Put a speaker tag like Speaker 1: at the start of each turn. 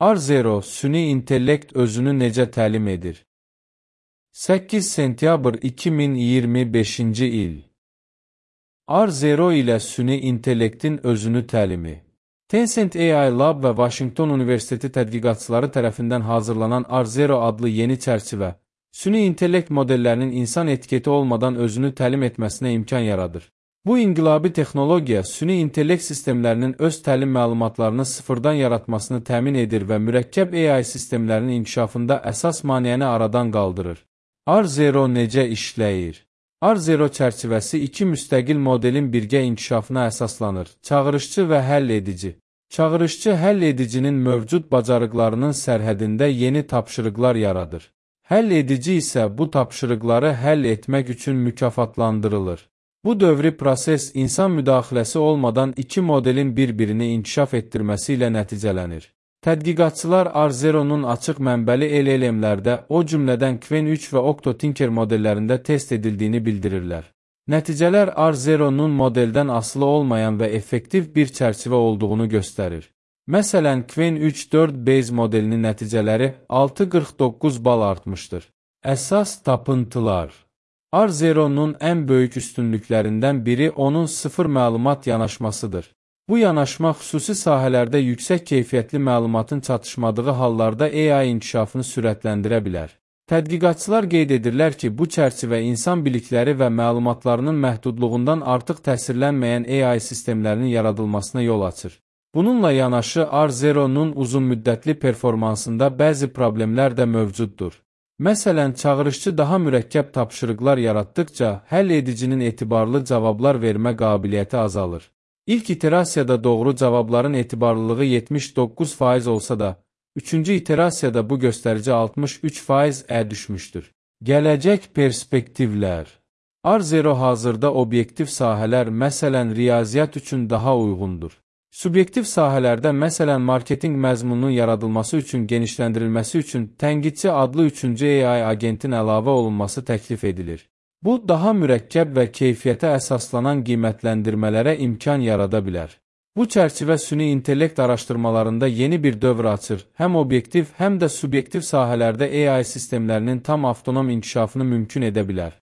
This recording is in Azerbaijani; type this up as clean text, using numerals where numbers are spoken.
Speaker 1: R0 süni intellekt özünü necə təlim edir? 8 sentyabr 2025-ci il. R0 ilə süni intellektin özünü təlimi. Tencent AI Lab və Washington Universiteti tədqiqatçıları tərəfindən hazırlanan R0 adlı yeni çərçivə, süni intellekt modellərinin insan etiketi olmadan özünü təlim etməsinə imkan yaradır. Bu inqilabi texnologiya süni intellekt sistemlərinin öz təlim məlumatlarını sıfırdan yaratmasını təmin edir və mürəkkəb AI sistemlərinin inkişafında əsas maneəni aradan qaldırır. R0 necə işləyir? R0 çərçivəsi iki müstəqil modelin birgə inkişafına əsaslanır. Çağırışçı və həll edici. Çağırışçı həll edicinin mövcud bacarıqlarının sərhədində yeni tapşırıqlar yaradır. Həll edici isə bu tapşırıqları həll etmək üçün mükafatlandırılır. Bu dövri proses insan müdaxiləsi olmadan iki modelin bir-birini inkişaf etdirməsi ilə nəticələnir. Tədqiqatçılar R0-nun açıq mənbəli LLM-lərdə, o cümlədən Qwen 3 və OctoTinker modellərində test edildiyini bildirirlər. Nəticələr R0-nun modeldən asılı olmayan və effektiv bir çərçivə olduğunu göstərir. Məsələn, Qwen 3-4 Base modelinin nəticələri 6,49 bal artmışdır. Əsas tapıntılar. R0-nun ən böyük üstünlüklərindən biri onun sıfır məlumat yanaşmasıdır. Bu yanaşma xüsusi sahələrdə yüksək keyfiyyətli məlumatın çatışmadığı hallarda AI inkişafını sürətləndirə bilər. Tədqiqatçılar qeyd edirlər ki, bu çərçivə insan bilikləri və məlumatlarının məhdudluğundan artıq təsirlənməyən AI sistemlərinin yaradılmasına yol açır. Bununla yanaşı R0-nun uzunmüddətli performansında bəzi problemlər də mövcuddur. Məsələn, çağırışçı daha mürəkkəb tapşırıqlar yaratdıqca, həll edicinin etibarlı cavablar vermə qabiliyyəti azalır. İlk iterasiyada doğru cavabların etibarlılığı 79% olsa da, üçüncü iterasiyada bu göstərici 63%-ə düşmüşdür. Gələcək perspektivlər. R0 hazırda obyektiv sahələr, məsələn, riyaziyyat üçün daha uyğundur. Subyektiv sahələrdə, məsələn, marketinq məzmununun yaradılması üçün genişləndirilməsi üçün tənqidçi adlı üçüncü AI agentin əlavə olunması təklif edilir. Bu, daha mürəkkəb və keyfiyyətə əsaslanan qiymətləndirmələrə imkan yarada bilər. Bu çərçivə süni intellekt araşdırmalarında yeni bir dövr açır, həm obyektiv, həm də subyektiv sahələrdə AI sistemlərinin tam avtonom inkişafını mümkün edə bilər.